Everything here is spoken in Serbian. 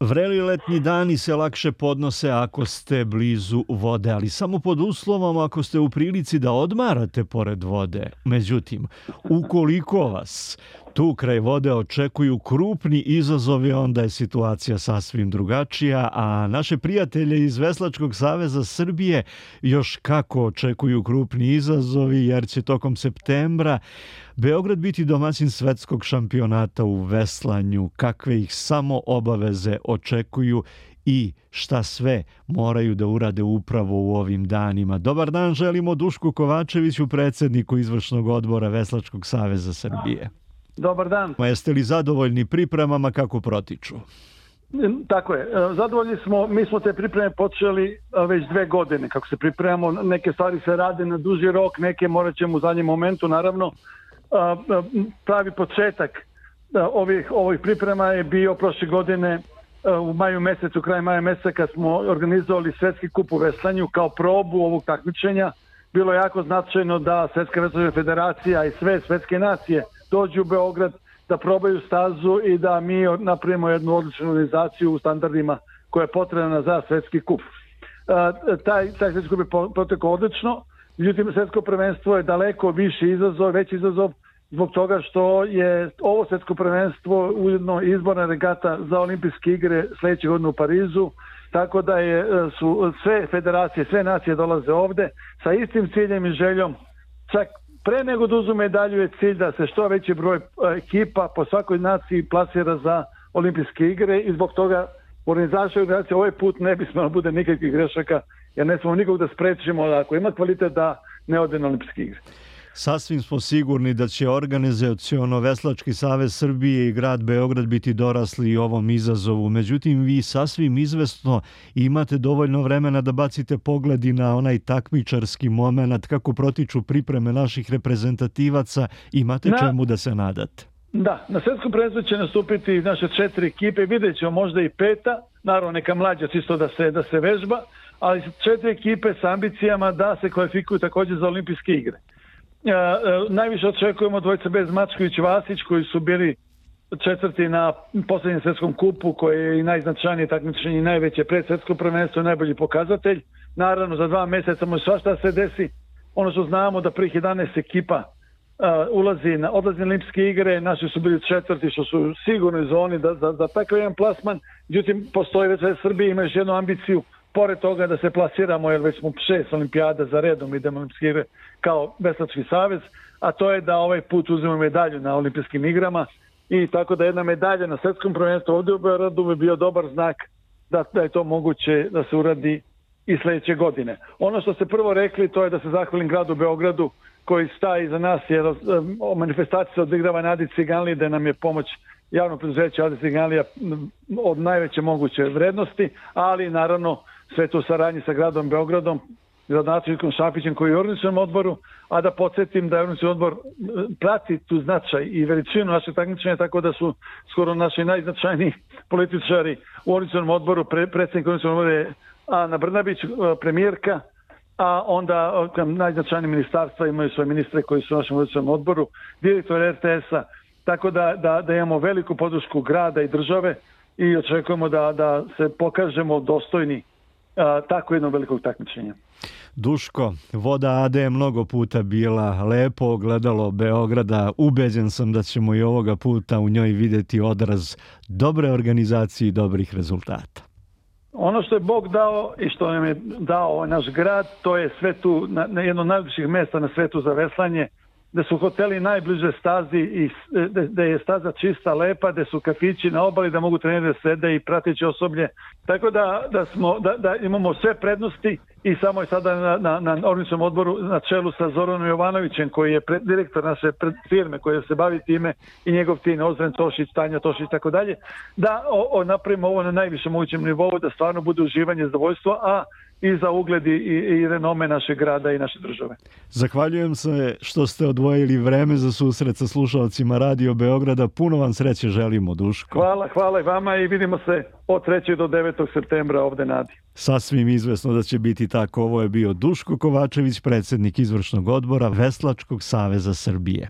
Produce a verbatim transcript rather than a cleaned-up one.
Vreli letnji dani se lakše podnose ako ste blizu vode, ali samo pod uslovom ako ste u prilici da odmarate pored vode. Međutim, ukoliko vas tu kraj vode očekuju krupni izazovi, onda je situacija sasvim drugačija, a naše prijatelje iz Veslačkog saveza Srbije još kako očekuju krupni izazovi, jer će tokom septembra Beograd biti domaćin svetskog šampionata u veslanju, kakve ih samo obaveze očekuju i šta sve moraju da urade upravo u ovim danima. Dobar dan želimo Dušku Kovačeviću, predsjedniku izvršnog odbora Veslačkog saveza Srbije. Dobar dan. Jeste li zadovoljni pripremama, kako protiču? Tako je. Zadovoljni smo. Mi smo te pripreme počeli već dve godine. Kako se pripremamo, neke stvari se rade na duži rok, neke morat ćemo u zadnjem momentu, naravno. Pravi početak ovih, ovih priprema je bio prošle godine u maju mesecu, kraj maja meseca, kad smo organizovali Svetski kup u veslanju kao probu ovog takmičenja. Bilo je jako značajno da Svetska veslačka federacija i sve svetske nacije dođu u Beograd da probaju stazu i da mi napravimo jednu odličnu organizaciju u standardima koja je potrebna za Svetski kup. Taj, taj Svetski kup je protekao odlično, međutim Svetsko prvenstvo je daleko viši izazov, veći izazov zbog toga što je ovo Svetsko prvenstvo ujedno izborna regata za olimpijske igre sledeće godine u Parizu, tako da je, su sve federacije, sve nacije dolaze ovde sa istim ciljem i željom. Čak pre nego da uzu medalju je cilj da se što veći broj ekipa po svakoj naciji plasira za olimpijske igre i zbog toga organizacija organizacija ovaj put ne bi smelo bude nikakvih grešaka, jer ne smemo nikog da sprečimo da ako ima kvalitet da ne ode na olimpijske igre. Sasvim smo sigurni da će organizaciono Veslački savez Srbije i grad Beograd biti dorasli ovom izazovu. Međutim, vi sasvim izvesno imate dovoljno vremena da bacite pogledi na onaj takmičarski moment, kako protiču pripreme naših reprezentativaca. Imate na, čemu da se nadate? Da, na svetskom prvenstvu će nastupiti naše četiri ekipe, vidjet ćemo možda i peta, naravno neka mlađa čisto da se, da se vežba, ali četiri ekipe sa ambicijama da se kvalifikuju također za olimpijske igre. Uh, uh, najviše očekujemo dvojica Bez Mačković i Vasić koji su bili četvrti na posljednjem svetskom kupu koji je i najznačajnije takmičenje i najveće predsvetsko prvenstvo i najbolji pokazatelj. Naravno za dva mjeseca može svašta se desi. Ono što znamo da prvih jedanaest ekipa uh, ulazi na odlazi na olimpijske igre, naši su bili četvrti što su sigurno zoni da, za, za takav jedan plasman. Međutim, postoji već u Srbiji, ima još jednu ambiciju pored toga da se plasiramo, jer već smo šest olimpijada za redom idemo na olimpijske igre kao Veslački savez, a to je da ovaj put uzmemo medalju na olimpijskim igrama i tako da jedna medalja na svetskom prvenstvu ovdje u Beogradu bi bio dobar znak da, da je to moguće da se uradi i sljedeće godine. Ono što ste prvo rekli, to je da se zahvalim gradu Beogradu koji staje iza nas, jer o manifestaciji se odigrava na Adi Ciganliji, da nam je pomoć javno preduzeće Adi Ciganlija od najveće moguće vrednosti, ali naravno sve to u saradnji sa gradom Beogradom, gradonačelnikom Šapićem koji je u organizacionom odboru, a da podsjetim da je organizacioni odbor prati tu značaj i veličinu našeg takmičenja, tako da su skoro naši najznačajniji političari u organizacionom odboru, pre, predsjednik organizacionog odbora je Ana Brnabić, premijerka, a onda najznačajniji ministarstva imaju svoje ministre koji su u našem organizacionom odboru, direktor er te es a, tako da, da, da imamo veliku podršku grada i države i očekujemo da, da se pokažemo dostojni a, tako jednog velikog takmičenja. Duško, Voda a de je mnogo puta bila lepo ogledalo Beograda. Ubeđen sam da ćemo i ovoga puta u njoj vidjeti odraz dobre organizacije i dobrih rezultata. Ono što je Bog dao i što nam je dao ovaj naš grad, to je sve tu na, na jedno od najljepših mjesta na svetu za veslanje, da su hoteli najbliže stazi i da je staza čista, lepa, da su kafići na obali, da mogu treneri da sede i prateći osoblje. Tako da, da, smo, da, da imamo sve prednosti i samo je sada na, na, na organizacionom odboru na čelu sa Zoranom Jovanovićem koji je pred, direktor naše pred, firme koja se bavi time i njegov tim Ozren Tošić, Tanja Tošić i tako dalje, da o, o, napravimo ovo na najvišem mogućem nivou, da stvarno bude uživanje, zadovoljstvo, a i za ugled i, i renome našeg grada i naše države. Zahvaljujem se što ste odvojili vreme za susret sa slušalcima Radio Beograda. Puno vam sreće želimo, Duško. Hvala, hvala i vama i vidimo se od trećeg do devetog septembra ovde na Adi. Sasvim izvesno da će biti tako. Ovo je bio Duško Kovačević, predsjednik izvršnog odbora Veslačkog saveza Srbije.